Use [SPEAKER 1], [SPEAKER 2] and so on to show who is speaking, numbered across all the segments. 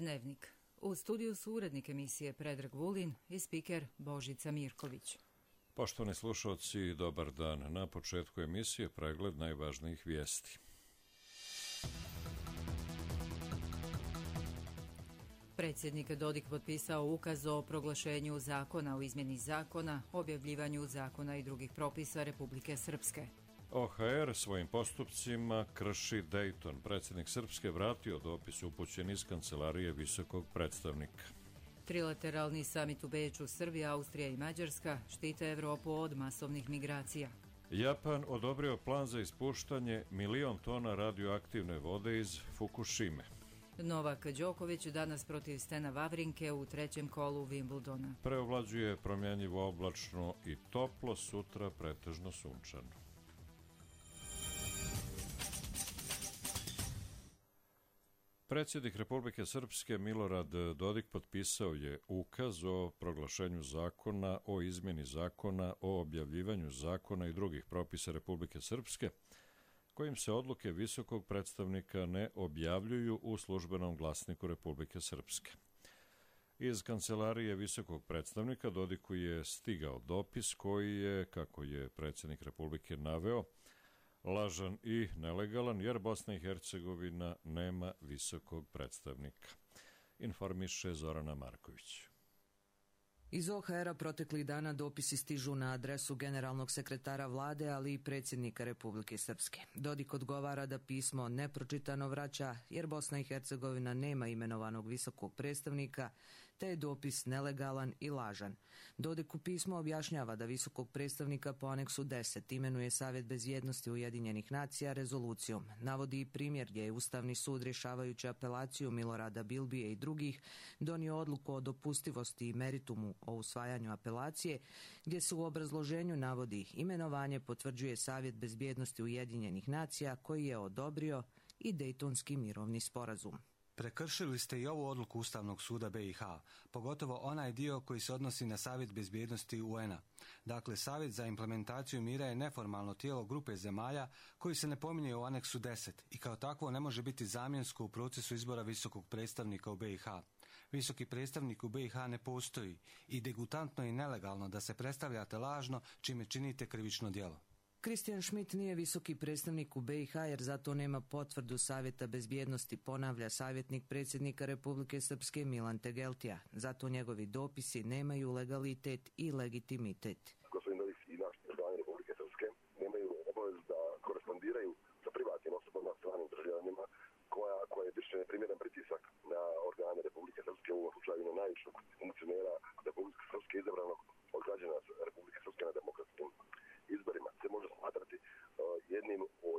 [SPEAKER 1] Dnevnik. U studiju su urednik emisije Predrag Vulin i spiker Božica Mirković.
[SPEAKER 2] Poštovani slušalci, dobar dan. Na početku emisije pregled najvažnijih vijesti.
[SPEAKER 1] Predsjednik Dodik potpisao ukaz o proglašenju zakona o izmjeni zakona, objavljivanju zakona i drugih propisa Republike Srpske.
[SPEAKER 2] OHR svojim postupcima krši Dayton. Predsjednik Srpske vratio dopis upućen iz kancelarije visokog predstavnika.
[SPEAKER 1] Trilateralni samit u Beču, Srbija, Austrija i Mađarska štite Evropu od masovnih migracija.
[SPEAKER 2] Japan odobrio plan za ispuštanje 1.000.000 tona radioaktivne vode iz Fukushime.
[SPEAKER 1] Novak Đoković danas protiv Stena Wawrinke u trećem kolu Wimbledona.
[SPEAKER 2] Preovlađuje promjenjivo oblačno i toplo, sutra pretežno sunčano. Predsjednik Republike Srpske Milorad Dodik potpisao je ukaz o proglašenju zakona o izmjeni zakona o objavljivanju zakona i drugih propisa Republike Srpske, kojim se odluke visokog predstavnika ne objavljuju u službenom glasniku Republike Srpske. Iz kancelarije visokog predstavnika Dodiku je stigao dopis koji je, kako je predsjednik Republike naveo, lažan i nelegalan, jer Bosna i Hercegovina nema visokog predstavnika. Informiše Zorana Marković.
[SPEAKER 3] Iz OHR-a proteklih dana dopisi stižu na adresu generalnog sekretara vlade, ali i predsjednika Republike Srpske. Dodik odgovara da pismo nepročitano vraća, jer Bosna i Hercegovina nema imenovanog visokog predstavnika, te je dopis nelegalan i lažan. Dodik u pismu objašnjava da visokog predstavnika po aneksu 10 imenuje Savjet bezbjednosti Ujedinjenih nacija rezolucijom. Navodi i primjer gdje je Ustavni sud rješavajući apelaciju Milorada Bilbije i drugih donio odluku o dopustivosti i meritumu o usvajanju apelacije, gdje se u obrazloženju navodi imenovanje potvrđuje Savjet bezbjednosti Ujedinjenih nacija koji je odobrio i Dejtonski mirovni sporazum.
[SPEAKER 4] Prekršili ste i ovu odluku Ustavnog suda BiH, pogotovo onaj dio koji se odnosi na Savjet bezbjednosti UN-a. Dakle, Savjet za implementaciju mira je neformalno tijelo grupe zemalja koji se ne pominje u aneksu 10 i kao takvo ne može biti zamjensko u procesu izbora visokog predstavnika u BiH. Visoki predstavnik u BiH ne postoji i degutantno i nelegalno da se predstavljate lažno čime činite krivično djelo.
[SPEAKER 3] Kristijan Schmidt nije visoki predstavnik u BiH jer zato nema potvrdu Savjeta bezbjednosti, ponavlja savjetnik predsjednika Republike Srpske Milan Tegeltija. Zato njegovi dopisi nemaju legalitet i legitimitet.
[SPEAKER 5] Gospodin Dodik i naši državljani Republike Srpske nemaju obavezu da korespondiraju sa privatnim osobama, stranim državljanima koja je više neprimjeren pritisak na organe Republike Srpske, u ovom slučaju na najvišeg funkcionera Republike Srpske izabranog od građana Republike Srpske na demokratskim izborima. Se može smatrati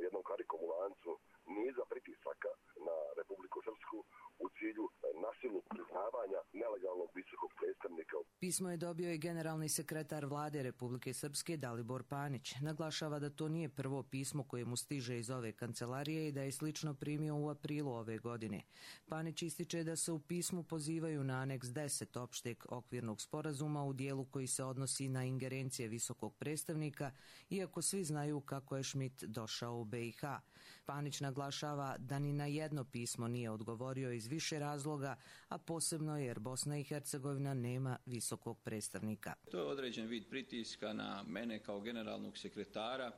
[SPEAKER 5] jednom karikom u lancu niza pritisaka na Republiku Srpsku u cilju nasilnog priznavanja nelegalnog visokog predstavnika.
[SPEAKER 3] Pismo je dobio i generalni sekretar vlade Republike Srpske Dalibor Panić. Naglašava da to nije prvo pismo koje mu stiže iz ove kancelarije i da je slično primio u aprilu ove godine. Panić ističe da se u pismu pozivaju na aneks 10 opšteg okvirnog sporazuma u dijelu koji se odnosi na ingerencije visokog predstavnika, iako svi znaju kako je Schmidt došao u BiH. Panić naglašava da ni na jedno pismo nije odgovorio iz više razloga, a posebno jer Bosna i Hercegovina nema visokog predstavnika.
[SPEAKER 6] To je određen vid pritiska na mene kao generalnog sekretara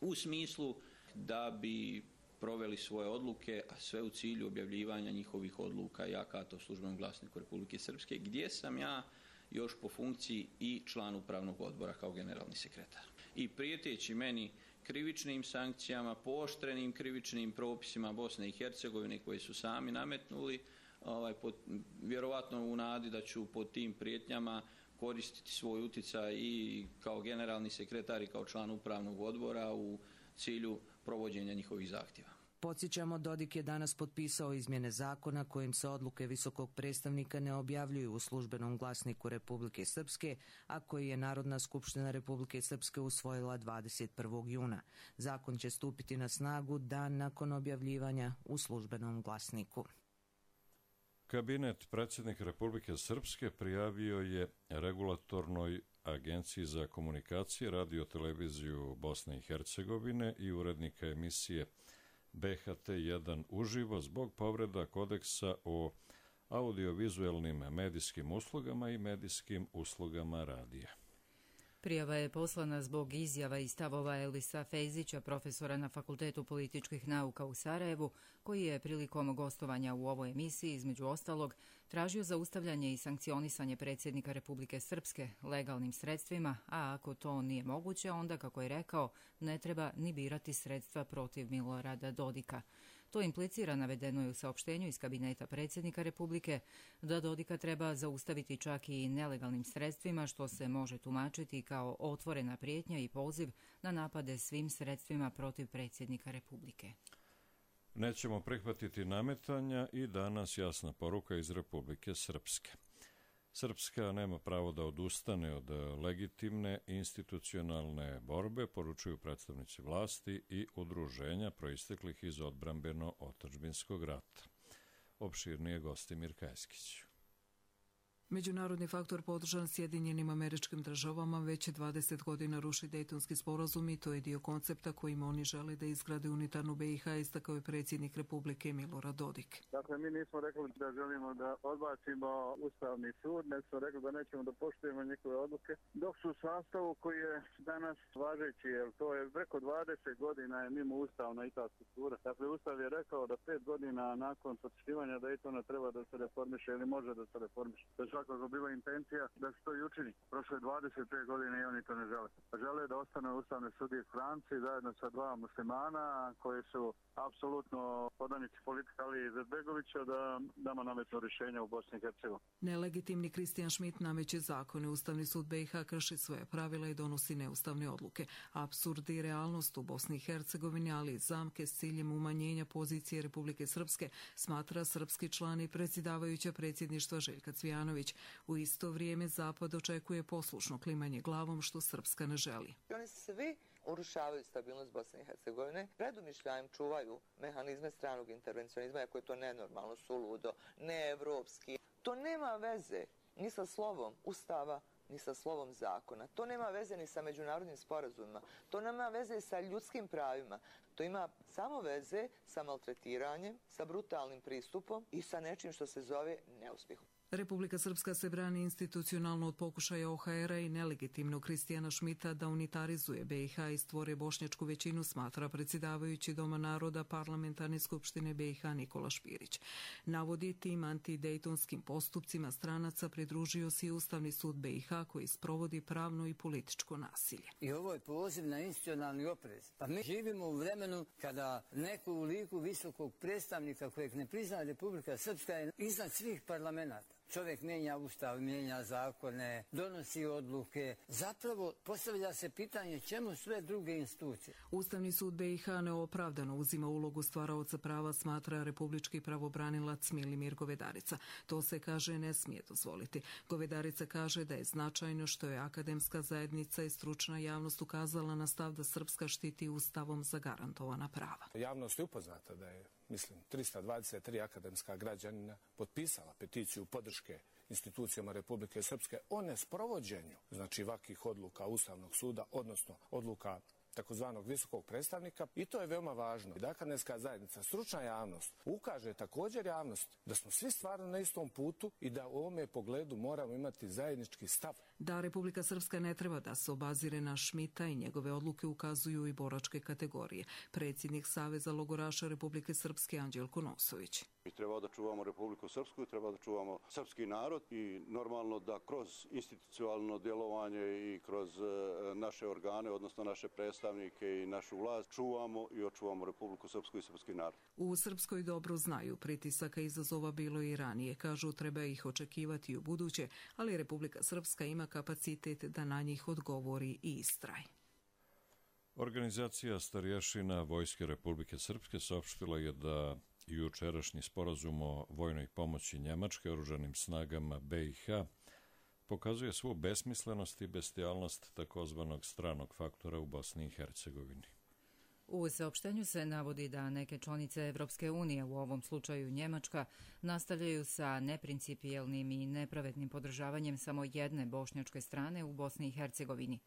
[SPEAKER 6] u smislu da bi proveli svoje odluke, a sve u cilju objavljivanja njihovih odluka i akata u službenom glasniku Republike Srpske, gdje sam ja još po funkciji i član upravnog odbora kao generalni sekretar. I prijeteći meni krivičnim sankcijama, pooštrenim krivičnim propisima Bosne i Hercegovine koje su sami nametnuli, vjerovatno u nadi da ću pod tim prijetnjama koristiti svoj utjecaj i kao generalni sekretar i kao član upravnog odbora u cilju provođenja njihovih zahtjeva.
[SPEAKER 3] Podsjećamo, Dodik je danas potpisao izmjene zakona kojim se odluke visokog predstavnika ne objavljuju u službenom glasniku Republike Srpske, a koji je Narodna skupština Republike Srpske usvojila 21. juna. Zakon će stupiti na snagu dan nakon objavljivanja u službenom glasniku.
[SPEAKER 2] Kabinet predsjednika Republike Srpske prijavio je regulatornoj Agenciji za komunikacije, radio-televiziju Bosne i Hercegovine i urednika emisije BHT1 uživo zbog povreda kodeksa o audiovizualnim medijskim uslugama i medijskim uslugama radija.
[SPEAKER 1] Prijava je poslana zbog izjava i stavova Elisa Fejzića, profesora na Fakultetu političkih nauka u Sarajevu, koji je prilikom gostovanja u ovoj emisiji, između ostalog, tražio zaustavljanje i sankcionisanje predsjednika Republike Srpske legalnim sredstvima, a ako to nije moguće, onda, kako je rekao, ne treba ni birati sredstva protiv Milorada Dodika. To implicira, navedeno je u saopštenju iz kabineta predsjednika Republike, da Dodika treba zaustaviti čak i nelegalnim sredstvima, što se može tumačiti kao otvorena prijetnja i poziv na napade svim sredstvima protiv predsjednika Republike.
[SPEAKER 2] Nećemo prihvatiti nametanja i danas jasna poruka iz Republike Srpske. Srpska nema pravo da odustane od legitimne institucionalne borbe, poručuju predstavnici vlasti i udruženja proisteklih iz odbrambeno-otadžbinskog rata. Opširnije Gostimir Kajskić.
[SPEAKER 7] Međunarodni faktor podržan Sjedinjenim Američkim Državama već 20 godina ruši Dejtonski sporazum i to je dio koncepta kojim oni žele da izgrade unitarnu BiH, istakao je predsjednik Republike Milorad Dodik.
[SPEAKER 8] Dakle, mi nismo rekli da želimo da odbacimo Ustavni sud, nego smo rekli da nećemo da poštujemo njihove odluke, dok su u sastavu koji je danas važeći, jer to je preko 20 godina je mimo ustavna i ta struktura. Dakle, Ustav je rekao da 5 godina nakon potpisivanja Dejtona treba da se reformiše ili može da se reformiše. Svakako bila intencija da se to i učini. Prošle 25 godine i oni to ne žele. Žele da ostane ustavne sudije stranci zajedno sa dva muslimana koji su apsolutno podanici politike Ali Izetbegovića da nama nametnu rješenja u Bosni i Hercegovini.
[SPEAKER 7] Nelegitimni Kristijan Schmidt nameće zakone. Ustavni sud BiH krši svoje pravila i donosi neustavne odluke. Apsurd i realnost u Bosni i Hercegovini, ali i zamke s ciljem umanjenja pozicije Republike Srpske, smatra srpski član i predsjedavajuća predsjedništva Željka Cvijanović. U isto vrijeme Zapad očekuje poslušno klimanje glavom, što Srpska ne želi.
[SPEAKER 9] Oni svi urušavaju stabilnost Bosne i Hercegovine, predumišljajem čuvaju mehanizme stranog intervencionizma, ako je to nenormalno, suludo, neevropski. To nema veze ni sa slovom Ustava, ni sa slovom zakona. To nema veze ni sa međunarodnim sporazumima. To nema veze sa ljudskim pravima. To ima samo veze sa maltretiranjem, sa brutalnim pristupom i sa nečim što se zove neuspjehom.
[SPEAKER 7] Republika Srpska se brani institucionalno od pokušaja OHR-a i nelegitimnog Kristijana Schmidta da unitarizuje BiH i stvore bošnjačku većinu, smatra predsjedavajući Doma naroda Parlamentarne skupštine BiH Nikola Špirić. Navodi, tim antidejtonskim postupcima stranaca pridružio se i Ustavni sud BiH koji sprovodi pravno i političko nasilje.
[SPEAKER 10] I ovo je poziv na institucionalni oprez. Pa mi živimo u vremenu kada neko u liku visokog predstavnika kojeg ne prizna Republika Srpska je iznad svih parlamenta. Čovjek mijenja ustav, mijenja zakone, donosi odluke. Zapravo postavlja se pitanje čemu sve druge institucije.
[SPEAKER 7] Ustavni sud BiH neopravdano uzima ulogu stvaraoca prava, smatra republički pravobranilac Milimir Govedarica. To se, kaže, ne smije dozvoliti. Govedarica kaže da je značajno što je akademska zajednica i stručna javnost ukazala na stav da Srpska štiti ustavom zagarantovana prava.
[SPEAKER 11] Javnost je upoznata da je, 323 akademska građanina potpisala peticiju podrške institucijama Republike Srpske o nesprovođenju, ovakvih odluka Ustavnog suda, odnosno odluka takozvanog visokog predstavnika, i to je veoma važno. Da akademska zajednica, stručna javnost, ukaže također javnost da smo svi stvarno na istom putu i da u ovome pogledu moramo imati zajednički stav.
[SPEAKER 7] Da Republika Srpska ne treba da se obazire na Schmidta i njegove odluke ukazuju i boračke kategorije. Predsjednik Saveza logoraša Republike Srpske Anđelko Nosović.
[SPEAKER 12] Mi treba da čuvamo Republiku Srpsku, treba da čuvamo srpski narod i normalno da kroz institucionalno djelovanje i kroz naše organe, odnosno naše predstavnike i našu vlast, čuvamo i očuvamo Republiku Srpsku i srpski narod.
[SPEAKER 7] U Srpskoj dobro znaju, pritisaka i izazova bilo i ranije. Kažu, treba ih očekivati i u buduće, ali Republika Srpska ima kapacitet da na njih odgovori i istraje.
[SPEAKER 2] Organizacija starješina Vojske Republike Srpske saopštila je da jučerašnji sporazum o vojnoj pomoći Njemačke oružanim snagama BiH pokazuje svu besmislenost i bestijalnost takozvanog stranog faktora u Bosni i Hercegovini.
[SPEAKER 1] U saopštenju se navodi da neke članice Evropske unije, u ovom slučaju Njemačka, nastavljaju sa neprincipijelnim i nepravednim podržavanjem samo jedne bošnjačke strane u Bosni i Hercegovini.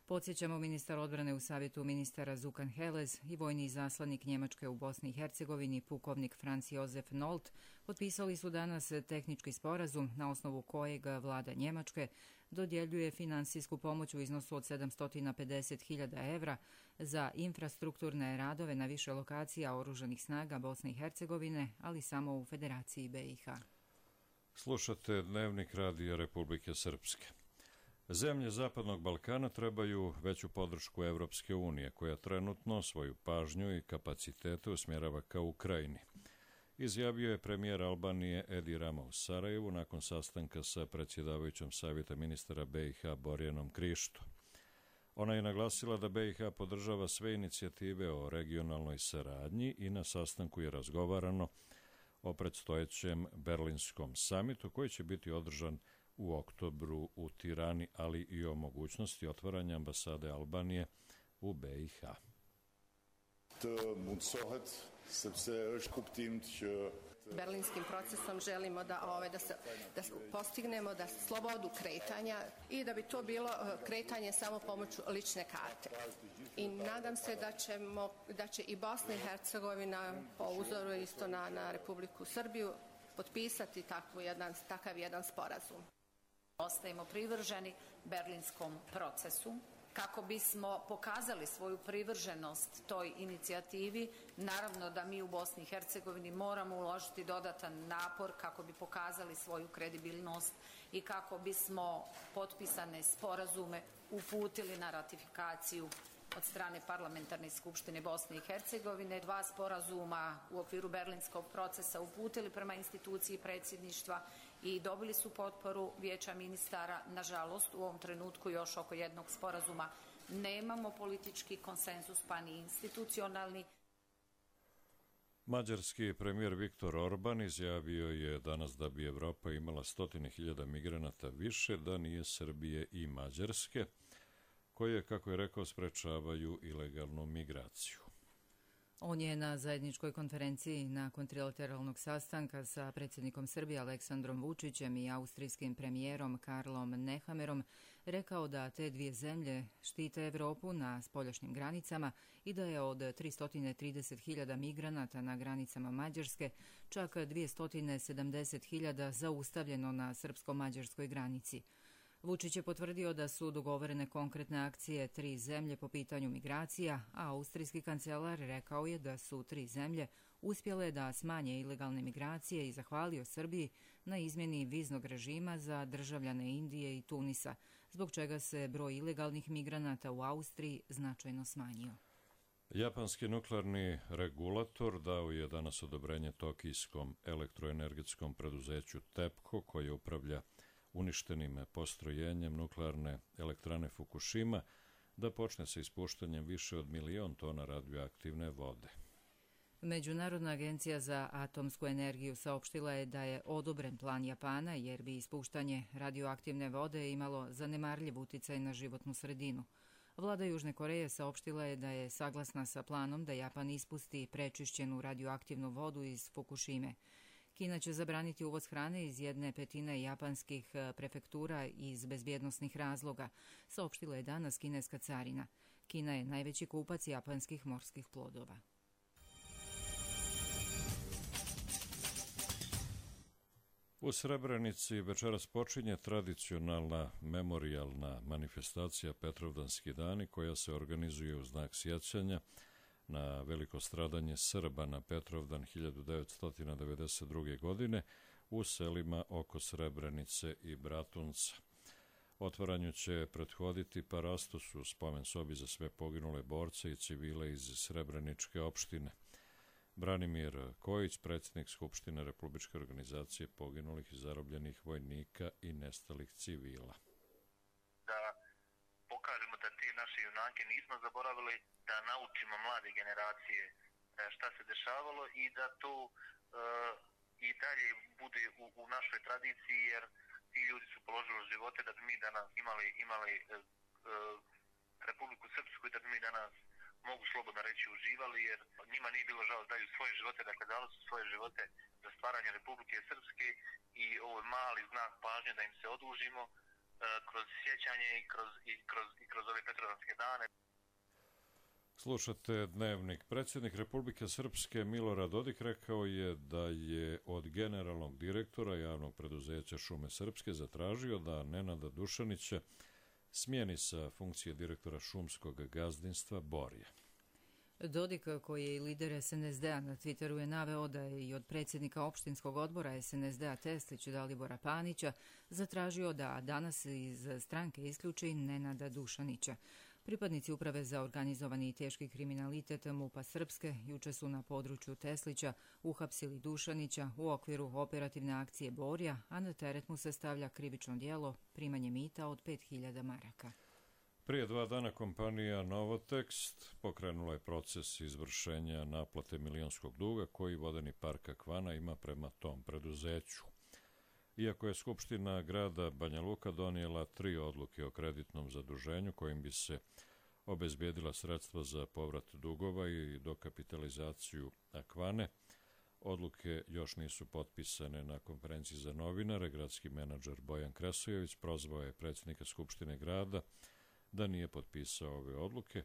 [SPEAKER 1] Podsjećamo, ministar odbrane u savjetu ministara Zukan Helez i vojni izaslanik Njemačke u Bosni i Hercegovini, pukovnik Franz Josef Nolt, potpisali su danas tehnički sporazum na osnovu kojeg vlada Njemačke dodjeljuje finansijsku pomoć u iznosu od 750.000 evra za infrastrukturne radove na više lokacija oružanih snaga Bosne i Hercegovine, ali samo u Federaciji BiH.
[SPEAKER 2] Slušate Dnevnik Radija Republike Srpske. Zemlje Zapadnog Balkana trebaju veću podršku Evropske unije, koja trenutno svoju pažnju i kapacitete usmjerava ka Ukrajini. Izjavio je premijer Albanije Edi Rama u Sarajevu nakon sastanka sa predsjedavajućom savjeta ministara BiH Borjanom Krišto. Ona je naglasila da BiH podržava sve inicijative o regionalnoj saradnji i na sastanku je razgovarano o predstojećem Berlinskom samitu koji će biti održan u oktobru u Tirani, ali i o mogućnosti otvaranja ambasade Albanije u BiH.
[SPEAKER 13] Berlinskim procesom želimo da postignemo da slobodu kretanja i da bi to bilo kretanje samo pomoću lične karte. I nadam se da će i Bosna i Hercegovina po uzoru isto na Republiku Srbiju potpisati takav jedan sporazum.
[SPEAKER 14] Ostajemo privrženi Berlinskom procesu kako bismo pokazali svoju privrženost toj inicijativi. Naravno da mi u Bosni i Hercegovini moramo uložiti dodatan napor kako bi pokazali svoju kredibilnost i kako bismo potpisane sporazume uputili na ratifikaciju od strane Parlamentarne skupštine Bosne i Hercegovine. 2 sporazuma u okviru Berlinskog procesa uputili prema instituciji predsjedništva i dobili su potporu Vijeća ministara. Nažalost, u ovom trenutku još oko jednog sporazuma nemamo politički konsenzus, pa ni institucionalni.
[SPEAKER 2] Mađarski premijer Viktor Orban izjavio je danas da bi Evropa imala 100.000 migranata više da nije Srbije i Mađarske, koje, kako je rekao, sprečavaju ilegalnu migraciju.
[SPEAKER 1] On je na zajedničkoj konferenciji nakon trilateralnog sastanka sa predsjednikom Srbije Aleksandrom Vučićem i austrijskim premijerom Karlom Nehammerom rekao da te dvije zemlje štite Evropu na spoljašnjim granicama i da je od 330.000 migranata na granicama Mađarske čak 270.000 zaustavljeno na srpsko-mađarskoj granici. Vučić je potvrdio da su dogovorene konkretne akcije 3 zemlje po pitanju migracija, a austrijski kancelar rekao je da su 3 zemlje uspjele da smanje ilegalne migracije i zahvalio Srbiji na izmjeni viznog režima za državljane Indije i Tunisa, zbog čega se broj ilegalnih migranata u Austriji značajno smanjio.
[SPEAKER 2] Japanski nuklearni regulator dao je danas odobrenje tokijskom elektroenergetskom preduzeću TEPCO, koje upravlja uništenim postrojenjem nuklearne elektrane Fukushima, da počne sa ispuštanjem više od 1.000.000 tona radioaktivne vode.
[SPEAKER 1] Međunarodna agencija za atomsku energiju saopštila je da je odobren plan Japana jer bi ispuštanje radioaktivne vode imalo zanemarljiv uticaj na životnu sredinu. Vlada Južne Koreje saopštila je da je saglasna sa planom da Japan ispusti prečišćenu radioaktivnu vodu iz Fukushime. Kina će zabraniti uvoz hrane iz 1/5 japanskih prefektura iz bezbjednosnih razloga, saopštila je danas kineska carina. Kina je najveći kupac japanskih morskih plodova.
[SPEAKER 2] U Srebrenici večeras počinje tradicionalna memorijalna manifestacija Petrovdanski dani, koja se organizuje u znak sjećanja na veliko stradanje Srba na Petrovdan 1992. godine u selima oko Srebrenice i Bratunca. Otvaranju će prethoditi parastos u spomen sobi za sve poginule borce i civile iz Srebreničke opštine. Branimir Kojić, predsjednik Skupštine Republičke organizacije poginulih i zarobljenih vojnika i nestalih civila.
[SPEAKER 15] Da pokažemo da te naše junake nismo zaboravili, da naučimo mlade generacije šta se dešavalo i da to i dalje bude u našoj tradiciji, jer ti ljudi su položili živote da bi mi danas imali Republiku Srpsku i da bi mi danas, mogu slobodno reći, uživali, jer njima nije bilo žao da daju svoje živote, dakle dali su svoje živote za stvaranje Republike Srpske i ovo je mali znak pažnje da im se odužimo kroz sjećanje i kroz ove Petrovdanske dane.
[SPEAKER 2] Slušate Dnevnik. Predsjednik Republike Srpske Milorad Dodik rekao je da je od generalnog direktora javnog preduzeća Šume Srpske zatražio da Nenada Dušanića smijeni sa funkcije direktora šumskog gazdinstva Borje.
[SPEAKER 1] Dodik, koji je i lider SNSD-a, na Twitteru je naveo da je i od predsjednika opštinskog odbora SNSD-a Teslić Dalibora Panića zatražio da danas iz stranke isključi Nenada Dušanića. Pripadnici Uprave za organizovani i teški kriminalitet MUP-a Srpske juče su na području Teslića uhapsili Dušanića u okviru operativne akcije Borja, a na teret mu se stavlja krivično djelo primanje mita od 5.000 maraka.
[SPEAKER 2] Prije 2 dana kompanija Novotekst pokrenula je proces izvršenja naplate milionskog duga koji vodeni park Akvana ima prema tom preduzeću. Iako je Skupština grada Banja Luka donijela 3 odluke o kreditnom zaduženju kojim bi se obezbijedila sredstva za povrat dugova i dokapitalizaciju Akvane, odluke još nisu potpisane. Na konferenciji za novinare gradski menadžer Bojan Kresojević prozvao je predsjednika Skupštine grada da nije potpisao ove odluke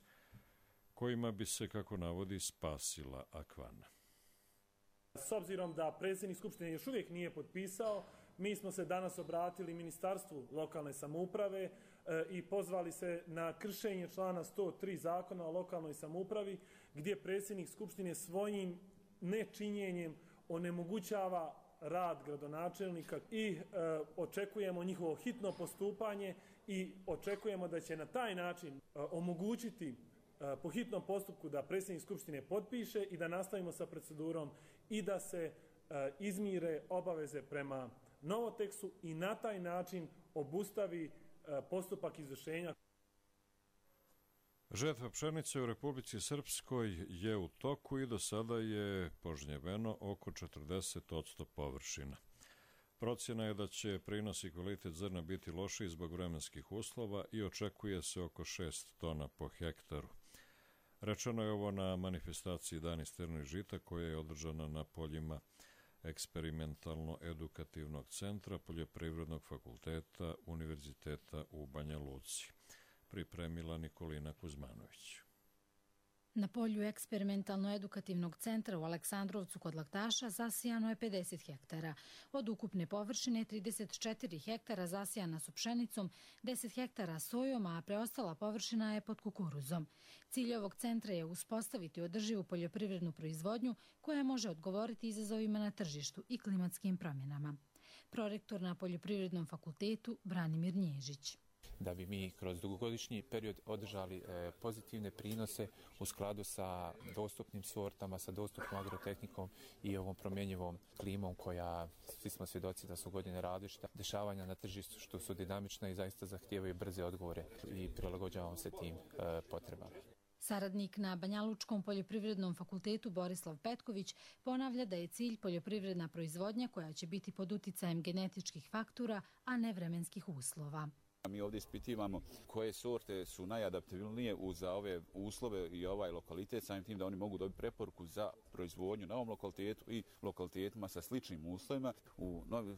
[SPEAKER 2] kojima bi se, kako navodi, spasila Akvana.
[SPEAKER 16] S obzirom da predsjednik Skupštine još uvijek nije potpisao, mi smo se danas obratili Ministarstvu lokalne samouprave i pozvali se na kršenje člana 103 Zakona o lokalnoj samoupravi, gdje predsjednik Skupštine svojim nečinjenjem onemogućava rad gradonačelnika i očekujemo njihovo hitno postupanje i očekujemo da će na taj način omogućiti po hitnom postupku da predsjednik Skupštine potpiše i da nastavimo sa procedurom i da se izmire obaveze prema Novoteksu i na taj način obustavi postupak izvršenja.
[SPEAKER 2] Žetva pšenice u Republici Srpskoj je u toku i do sada je požnjeveno oko 40% površina. Procjena je da će prinos i kvalitet zrna biti lošiji zbog vremenskih uslova i očekuje se oko 6 tona po hektaru. Rečeno je ovo na manifestaciji Dani strnih žita koja je održana na poljima eksperimentalno-edukativnog centra Poljoprivrednog fakulteta Univerziteta u Banja Luci. Pripremila Nikolina Kuzmanović.
[SPEAKER 17] Na polju eksperimentalno-edukativnog centra u Aleksandrovcu kod Laktaša zasijano je 50 hektara. Od ukupne površine 34 hektara zasijana su pšenicom, 10 hektara sojom, a preostala površina je pod kukuruzom. Cilj ovog centra je uspostaviti održivu poljoprivrednu proizvodnju koja može odgovoriti izazovima na tržištu i klimatskim promjenama. Prorektor na Poljoprivrednom fakultetu Branimir Nježić.
[SPEAKER 18] Da bi mi kroz dugogodišnji period održali pozitivne prinose u skladu sa dostupnim sortama, sa dostupnom agrotehnikom i ovom promjenjivom klimom koja, svi smo svjedoci da su godine različita, dešavanja na tržištu što su dinamična i zaista zahtijevaju brze odgovore i prilagođavamo se tim potrebama.
[SPEAKER 17] Saradnik na Banjalučkom poljoprivrednom fakultetu Borislav Petković ponavlja da je cilj poljoprivredna proizvodnja koja će biti pod uticajem genetičkih faktora, a ne vremenskih uslova.
[SPEAKER 19] Mi ovdje ispitivamo koje sorte su najadaptabilnije za ove uslove i ovaj lokalitet, samim tim da oni mogu dobiti preporuku za proizvodnju na ovom lokalitetu i lokalitetima sa sličnim uslovima,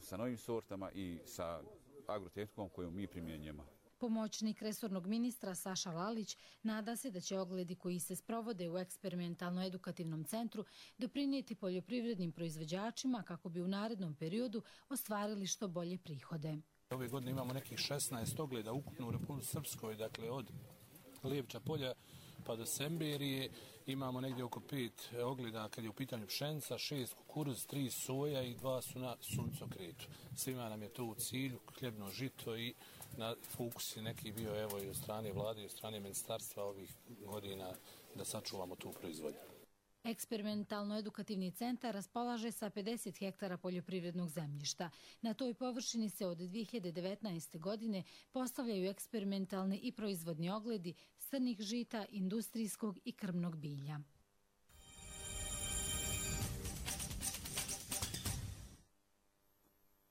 [SPEAKER 19] sa novim sortama i sa agrotehnikom koju mi primjenjujemo.
[SPEAKER 17] Pomoćnik resornog ministra Saša Lalić nada se da će ogledi koji se sprovode u eksperimentalno-edukativnom centru doprinijeti poljoprivrednim proizvođačima kako bi u narednom periodu ostvarili što bolje prihode.
[SPEAKER 20] Ove godine imamo nekih 16 ogleda ukupno u Republici Srpskoj, dakle od Lijevča polja pa do Semberije. Imamo negdje oko 5 ogleda kad je u pitanju pšenica, 6 kukuruz, 3 soja i 2 su na suncokretu. Svima nam je to u cilju, hljebno žito i na fokus je neki bio evo i od strane vlade i od strane ministarstva ovih godina da sačuvamo tu proizvodnju.
[SPEAKER 17] Eksperimentalno-edukativni centar raspolaže sa 50 hektara poljoprivrednog zemljišta. Na toj površini se od 2019. godine postavljaju eksperimentalni i proizvodni ogledi crnih žita, industrijskog i krmnog bilja.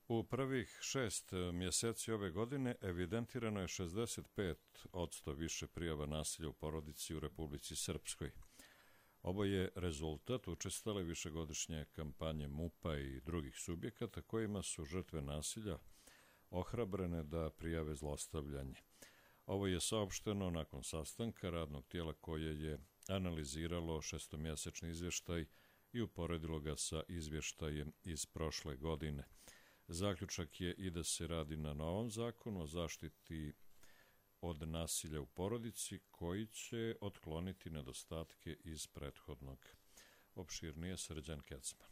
[SPEAKER 2] U prvih 6 mjeseci ove godine evidentirano je 65% više prijava nasilja u porodici u Republici Srpskoj. Ovo je rezultat učestale višegodišnje kampanje MUP-a i drugih subjekata kojima su žrtve nasilja ohrabrene da prijave zlostavljanje. Ovo je saopšteno nakon sastanka radnog tijela koje je analiziralo šestomjesečni izvještaj i uporedilo ga sa izvještajem iz prošle godine. Zaključak je i da se radi na novom zakonu o zaštiti od nasilja u porodici koji će otkloniti nedostatke iz prethodnog. Opširnije Srđan Kecman.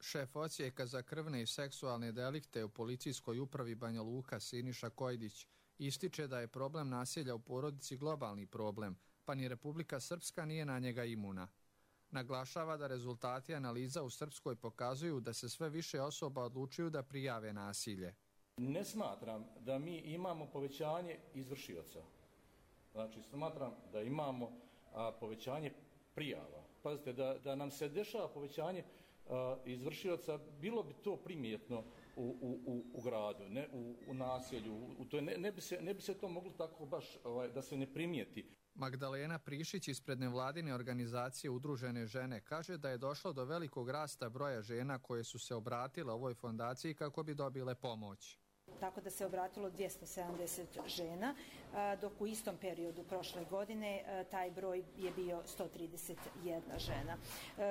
[SPEAKER 21] Šef odsjeka za krvne i seksualne delikte u policijskoj upravi Banja Luka Siniša Kojdić ističe da je problem nasilja u porodici globalni problem, pa ni Republika Srpska nije na njega imuna. Naglašava da rezultati analiza u Srpskoj pokazuju da se sve više osoba odlučuju da prijave nasilje.
[SPEAKER 22] Ne smatram da mi imamo povećanje izvršioca. Znači, smatram da imamo povećanje prijava. Pazite, da nam se dešava povećanje izvršioca, bilo bi to primjetno u gradu, ne u naselju. Ne bi se to moglo tako baš da se ne primijeti.
[SPEAKER 21] Magdalena Prišić ispred nevladine organizacije Udružene žene kaže da je došlo do velikog rasta broja žena koje su se obratile ovoj fondaciji kako bi dobile pomoć.
[SPEAKER 23] Tako da se obratilo 270 žena, dok u istom periodu prošle godine taj broj je bio 131 žena,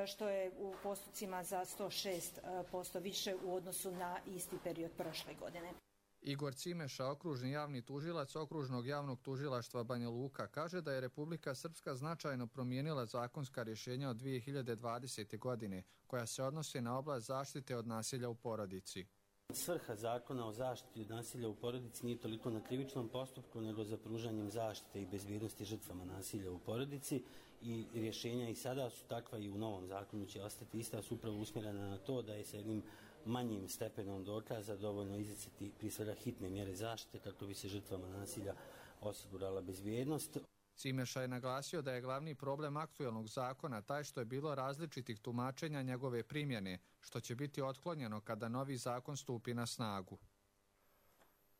[SPEAKER 23] što je u postocima za 106% više u odnosu na isti period prošle godine.
[SPEAKER 21] Igor Cimeša, okružni javni tužilac Okružnog javnog tužilaštva Banja Luka, kaže da je Republika Srpska značajno promijenila zakonska rješenja od 2020. godine, koja se odnose na oblast zaštite od nasilja u porodici.
[SPEAKER 24] Svrha zakona o zaštiti od nasilja u porodici nije toliko na krivičnom postupku, nego za pružanjem zaštite i bezbjednosti žrtvama nasilja u porodici, i rješenja i sada su takva i u novom zakonu će ostati ista, su upravo usmjerena na to da je sa jednim manjim stepenom dokaza dovoljno izricati prije svega hitne mjere zaštite kako bi se žrtvama nasilja osigurala bezbjednost.
[SPEAKER 21] Cimeša je naglasio da je glavni problem aktualnog zakona taj što je bilo različitih tumačenja njegove primjene, što će biti otklonjeno kada novi zakon stupi na snagu.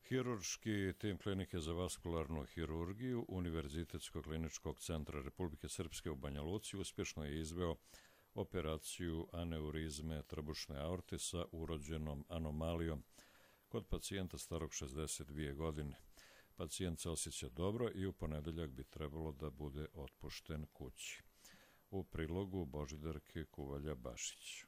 [SPEAKER 2] Hirurški tim klinike za vaskularnu hirurgiju Univerzitetskog kliničkog centra Republike Srpske u Banja Luci uspješno je izveo operaciju aneurizme trbušne aorte sa urođenom anomalijom kod pacijenta starog 62 godine. Pacijent se osjeća dobro i u ponedeljak bi trebalo da bude otpušten kući. U prilogu Božidarke Kuvalja-Bašić.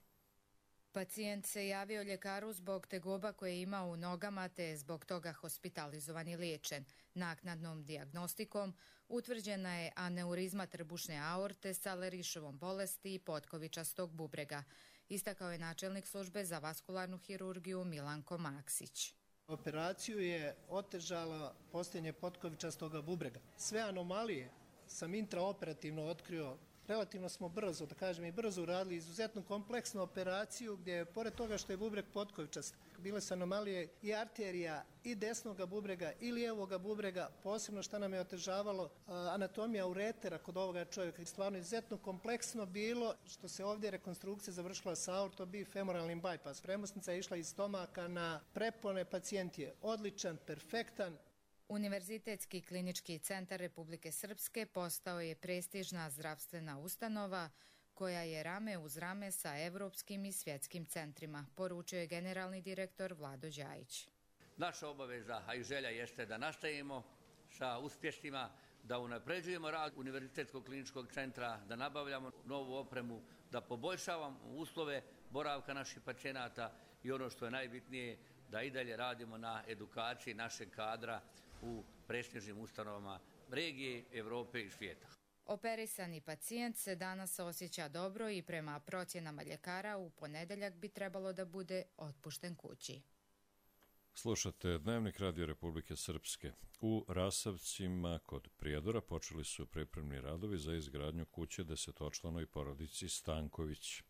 [SPEAKER 25] Pacijent se javio ljekaru zbog tegoba koje je imao u nogama te je zbog toga hospitalizovan i liječen. Naknadnom dijagnostikom utvrđena je aneurizma trbušne aorte sa Lerišovom bolesti i potkovičastog bubrega, istakao je načelnik službe za vaskularnu hirurgiju Milanko Maksić.
[SPEAKER 26] Operaciju je otežala postojanje potkovičastog bubrega. Sve anomalije sam intraoperativno otkrio. Relativno smo brzo, da kažem i brzo uradili izuzetno kompleksnu operaciju gdje, pored toga što je bubreg potkovičast, bile su anomalije i arterija i desnoga bubrega i lijevog bubrega, posebno što nam je otežavalo anatomija uretera kod ovoga čovjeka. Stvarno izuzetno kompleksno bilo, što se ovdje rekonstrukcija završila sa aortobifemoralnim bypass. Premosnica je išla iz stomaka na prepone, pacijent je odličan, perfektan.
[SPEAKER 25] Univerzitetski klinički centar Republike Srpske postao je prestižna zdravstvena ustanova koja je rame uz rame sa evropskim i svjetskim centrima, poručio je generalni direktor Vlado Đajić.
[SPEAKER 27] Naša obaveza, a i želja jeste da nastavimo sa uspjesima, da unapređujemo rad Univerzitetskog kliničkog centra, da nabavljamo novu opremu, da poboljšavamo uslove boravka naših pacijenata i ono što je najbitnije, da i dalje radimo na edukaciji našeg kadra u prestižnim ustanovama regije, Evrope i svijeta.
[SPEAKER 25] Operisani pacijent se danas osjeća dobro i prema procjenama ljekara u ponedeljak bi trebalo da bude otpušten kući.
[SPEAKER 2] Slušate Dnevnik Radio Republike Srpske. U Rasavcima kod Prijedora počeli su pripremni radovi za izgradnju kuće desetočlanoj porodici Stanković.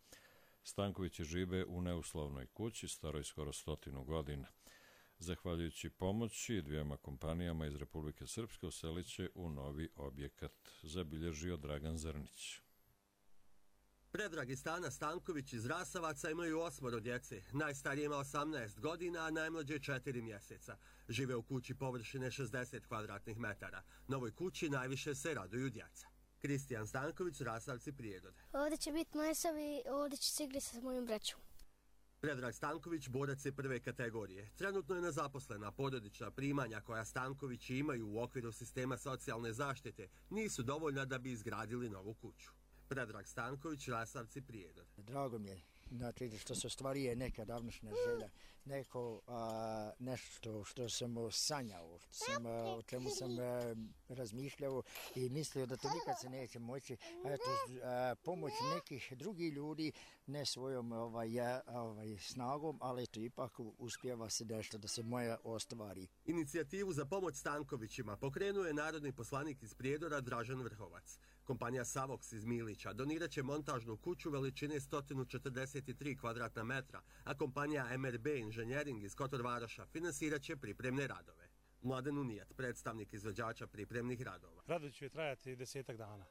[SPEAKER 2] Stankovići žive u neuslovnoj kući, staroj skoro 100 godina. Zahvaljujući pomoći dvijema kompanijama iz Republike Srpske uselit će u novi objekat, zabilježio Dragan Zrnić.
[SPEAKER 28] Predrag i Stana Stanković iz Rasavaca imaju 8 djece. Najstariji ima 18 godina, a najmlađe 4 mjeseca. Žive u kući površine 60 kvadratnih metara. Novoj kući najviše se raduju djeca. Kristijan Stanković, Rasavci, Prijedore.
[SPEAKER 29] Ovdje će biti majesav i ovdje će se igrati sa mojim braćom.
[SPEAKER 28] Predrag Stanković borac je prve kategorije. Trenutno je nezaposlena. Porodična primanja koja Stankovići imaju u okviru sistema socijalne zaštite nisu dovoljna da bi izgradili novu kuću. Predrag Stanković, Rasavci, Prijedor.
[SPEAKER 3] Drago mi je, znači, što se ostvarije neka davnošnja želja, nešto što sam sanjao, o čemu sam razmišljao i mislio da to nikad se neće moći. Pomoć nekih drugih ljudi, ne svojom snagom, ali to ipak uspijeva se nešto da se moja ostvari.
[SPEAKER 28] Inicijativu za pomoć Stankovićima pokrenuo je narodni poslanik iz Prijedora Dražen Vrhovac. Kompanija Savox iz Milića donirat će montažnu kuću veličine 143 kvadratna metra, a kompanija MRB Inženjering iz Kotorvaroša finansirat će pripremne radove. Mladen Unijat, predstavnik izvođača pripremnih radova.
[SPEAKER 4] Radovi će trajati 10 dana.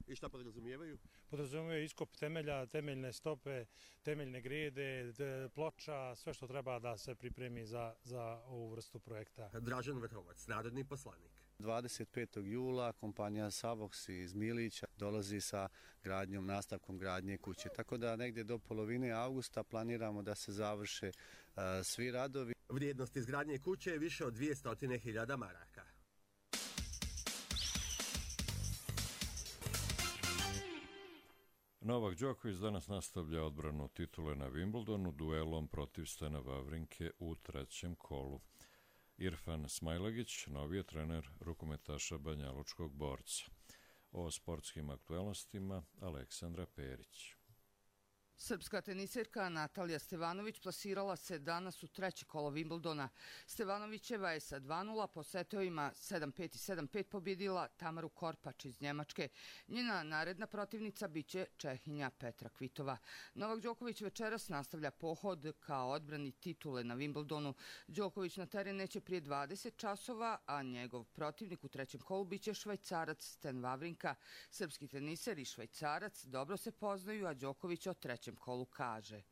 [SPEAKER 28] I šta podrazumijevaju?
[SPEAKER 4] Podrazumijevaju iskop temelja, temeljne stope, temeljne grede, ploča, sve što treba da se pripremi za ovu vrstu projekta.
[SPEAKER 28] Dražen Vrhovac, narodni poslanik.
[SPEAKER 5] 25. jula kompanija Savox iz Milića dolazi sa nastavkom gradnje kuće. Tako da negdje do polovine avgusta planiramo da se završe svi radovi.
[SPEAKER 28] Vrijednost izgradnje kuće je više od 200.000 maraka.
[SPEAKER 2] Novak Đoković danas nastavlja odbranu titule na Wimbledonu duelom protiv Stena Wawrinke u trećem kolu. Irfan Smailagić, novi je trener rukometaša banjalučkog borca. O sportskim aktualnostima Aleksandra Perić.
[SPEAKER 6] Srpska teniserka Natalija Stevanović plasirala se danas u treće kolo Wimbledona. Stevanovićeva je sa 2:0 po setovima 7-5 i 7-5 pobjedila Tamaru Korpač iz Njemačke. Njena naredna protivnica biće Čehinja Petra Kvitova. Novak Đoković večeras nastavlja pohod kao odbrani titule na Wimbledonu. Đoković na teren neće prije 20 časova, a njegov protivnik u trećem kolu biće Švajcarac Sten Wawrinka. Srpski teniser i Švajcarac dobro se poznaju, a Đoković o trećem kolu kaže.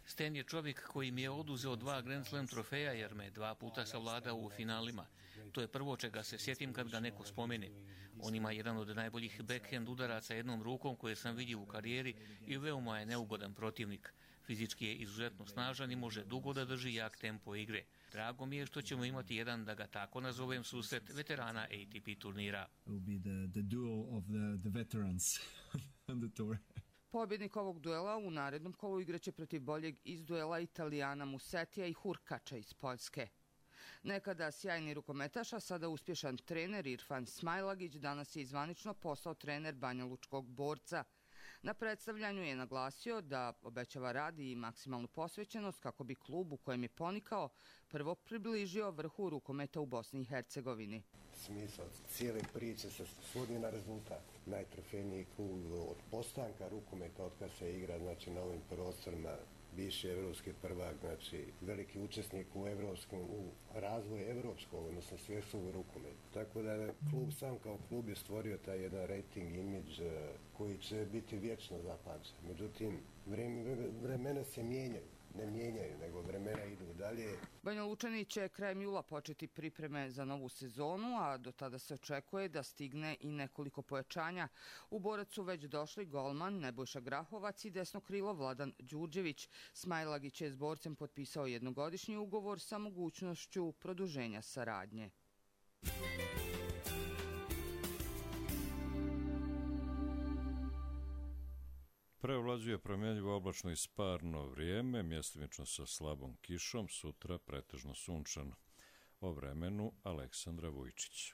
[SPEAKER 8] Sten je čovjek koji mi je oduzeo 2 Grand Slam trofeja jer me 2 puta savladao u finalima. To je prvo čega se sjetim kad ga neko spomene. On ima jedan od najboljih backhand udaraca jednom rukom koje sam vidio u karijeri i veoma je neugodan protivnik. Fizički je izuzetno snažan i može dugo da drži jak tempo igre. Drago mi je što ćemo imati jedan, da ga tako nazovem, susret veterana ATP turnira.
[SPEAKER 6] Pobjednik ovog duela u narednom kolu igraće protiv boljeg iz duela Italijana Musetija i Hurkača iz Poljske. Nekada sjajni rukometaš, a sada uspješan trener Irfan Smailagić danas je zvanično postao trener banjalučkog borca. Na predstavljanju je naglasio da obećava rad i maksimalnu posvećenost kako bi klub u kojem je ponikao prvo približio vrhu rukometa u Bosni i Hercegovini.
[SPEAKER 9] Smisao cijele priče se svodi na rezultat. Najtrofejniji klub od postanka rukometa od kada se igra, znači, na ovim prostorima, bivši evropski prvak, znači veliki učesnik u razvoju evropskog, odnosno svjetskog rukometa. Tako da klub sam kao klub je stvorio taj jedan rating, imidž koji će biti vječno zapamćen. Međutim, vremena se mijenjaju. Ne mijenjaju, nego vremena idu dalje.
[SPEAKER 6] Banjalučani će krajem jula početi pripreme za novu sezonu, a do tada se očekuje da stigne i nekoliko pojačanja. U Borac su već došli golman Nebojša Grahovac i desno krilo Vladan Đurđević. Smailagić je s borcem potpisao jednogodišnji ugovor sa mogućnošću produženja saradnje.
[SPEAKER 2] Preovlađuje promjenjivo oblačno i sparno vrijeme, mjestimično sa slabom kišom, sutra pretežno sunčano. O vremenu Aleksandra Vujčić.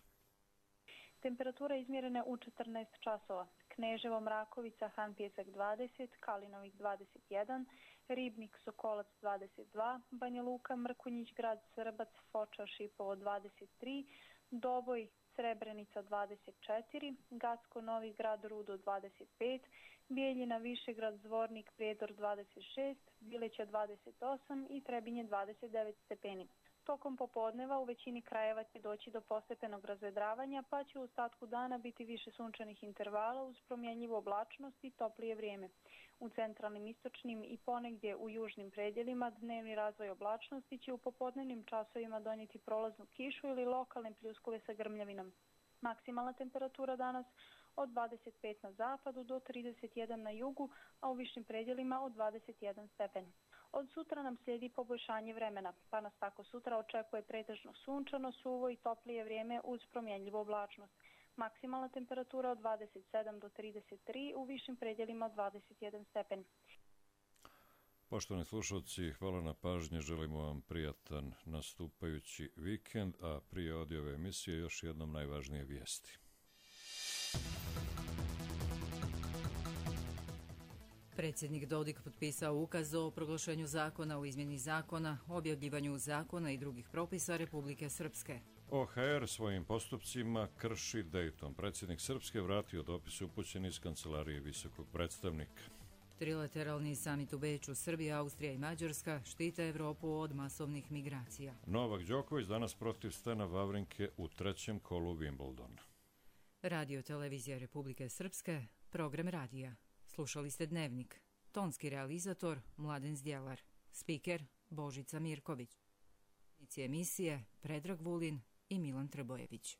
[SPEAKER 10] Temperatura izmjerena u 14 časova. Kneževo, Mrakovica, Han Pjesak 20, Kalinovik 21, Ribnik, Sokolac 22, Banja Luka, Mrkonjić, Grad Srbac, Foča, Šipovo 23, Doboj, Srebrenica 24, Gacko, Novi Grad, Rudo 25, Bijeljina, Višegrad, Zvornik, Prijedor 26, Bileća 28 i Trebinje 29 stepeni. Tokom popodneva u većini krajeva će doći do postepenog razvedravanja, pa će u ostatku dana biti više sunčanih intervala uz promjenjivu oblačnost i toplije vrijeme. U centralnim, istočnim i ponegdje u južnim predjelima dnevni razvoj oblačnosti će u popodnevnim časovima donijeti prolaznu kišu ili lokalne pljuskove sa grmljavinom. Maksimalna temperatura danas od 25 na zapadu do 31 na jugu, a u višim predjelima od 21 stepen. Od sutra nam slijedi poboljšanje vremena, pa nas tako sutra očekuje pretežno sunčano, suvo i toplije vrijeme uz promjenljivu oblačnost. Maksimalna temperatura od 27 do 33, u višim predjelima od 21 stepen.
[SPEAKER 2] Poštovani slušalci, hvala na pažnje, želimo vam prijatan nastupajući vikend, a prije ove emisije još jednom najvažnije vijesti.
[SPEAKER 1] Predsjednik Dodik potpisao ukaz o proglašenju zakona o izmjeni zakona, objavljivanju zakona i drugih propisa Republike Srpske.
[SPEAKER 2] OHR svojim postupcima krši Dayton. Predsjednik Srpske vratio dopis upućen iz kancelarije visokog predstavnika.
[SPEAKER 1] Trilateralni samit u Beču, Srbija, Austrija i Mađarska štite Evropu od masovnih migracija.
[SPEAKER 2] Novak Đoković danas protiv Stena Wawrinke u trećem kolu Wimbledona.
[SPEAKER 1] Radio televizija Republike Srpske, program radija. Slušali ste Dnevnik. Tonski realizator Mladen Zdjelar. Spiker Božica Mirković. Emisije Predrag Vulin i Milan Trbojević.